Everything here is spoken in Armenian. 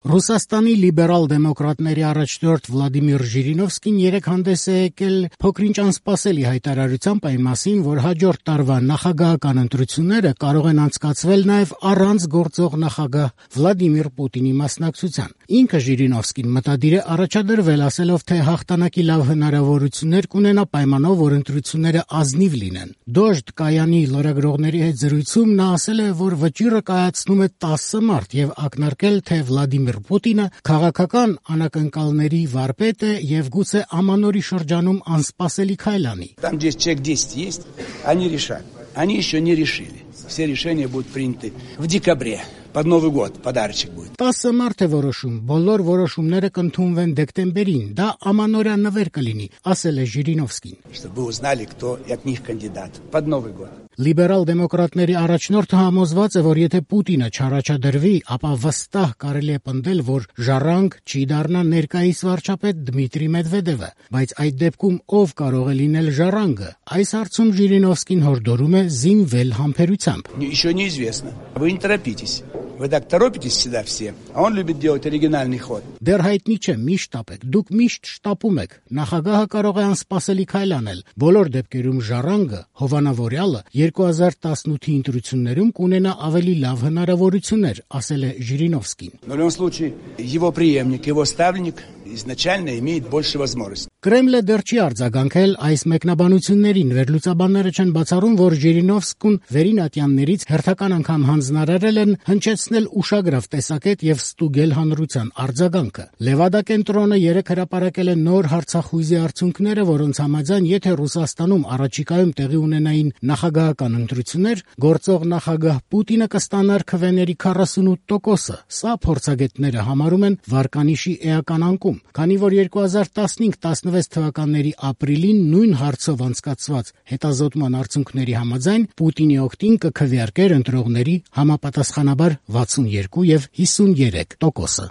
Ռուսաստանի լիբերալ դեմոկրատների առաջնորդ Վլադիմիր Ժիրինովսկին երեկ հանդես է եկել փոքրինչ անսպասելի հայտարարությամբ այն մասին, որ հաջորդ տարվա նախագահական ընտրությունները կարող են անցկացվել նաև առանց գործող նախագահ Վլադիմիր Պուտինի մասնակցության։ Ինքը Ժիրինովսկին մտադիր է առաջադրվել, ասելով, թե հաղթանակի լավ հնարավորություններ կունենա պայմանով, որ ընտրությունները ազնիվ լինեն։ Դոժդ կայանի լրագրողների հետ զրույցում նա ասել է, որ վճիռը կայացնում է 10 մարդ եւ ակնարկել, թե Վլադիմիր Պուտինը քաղաքական անակնկալների վարպետ է եւ գուցե ամանորի շրջանում անսպասելի քայլ անի։ Там, где человек 10 есть, они решат. Они еще не решили. Все решения будут приняты в декабре. Под Новый год подарочек будет. 10 մարդ է որոշում, բոլոր որոշումները կընդունվեն դեկտեմբերին, դա ամանորյա նվեր կլինի, ասել է Ժիրինովսկին։ Чтобы вы узнали, кто от них кандидат. Под Новый год. Լիբերալ դեմոկրատների առաջնորդը համոզված է, որ եթե Պուտինը չառաջադրվի, ապա վստահ կարելի է պնդել, որ ժառանգ չի դառնա ներկայիս վարչապետ Դմիտրի Մեդվեդևը, բայց այդ դեպքում ով կարող է լինել ժառանգը։ Այս հարցում Ժիրինովսկին հորդորում է զինվել համբերությամբ։ Еще неизвестно. Вы не торопитесь. Вы так торопитесь всегда все, а он любит делать оригинальный ход. Դեռ հայտնի չէ, միշտ շտապեք, դուք միշտ շտապում եք, նախագահը կարող է անսպասելի քայլ անել, բոլոր դեպքերում ժառանգը, հովանավորյալը 2018-ի ընտրություններում կունենա ավելի լավ հնարավորություններ, ասել է Ժիրինովսկին։ В любом случае, его преемник, его ставленник изначально имеет больше возможностей. Կրեմլը դեռ չի արձագանքել այս մեկնաբանություններին, վերլուծաբանները չեն բացառում, որ Ժիրինովսկուն վերին ատյաններից հերթական անգամ հանձնարարել են հնչեցնել ուշագրավ տեսակետ եւ ստուգել հանրության արձագանքը։ Լևադա կենտրոնը երեկ հրապարակել է նոր հարցախույզի արդյունքները, որոնց համաձայն եթե Ռուսաստանում առաջիկայում տեղի ունենային նախագահական ընտրություններ, գործող նախագահ Պուտինը կստանար քվեների 48%-ը։ Սա փորձագետները համարում են վարկանիշի էական անկում, քանի որ 2015-16 թվականների ապրիլին նույն հարցով անցկացված հետազոտման արդյունքների համաձայն Պուտինի օգտին կքվեարկեր ընտրողների համապատասխանաբար 62 եւ 53%-ը։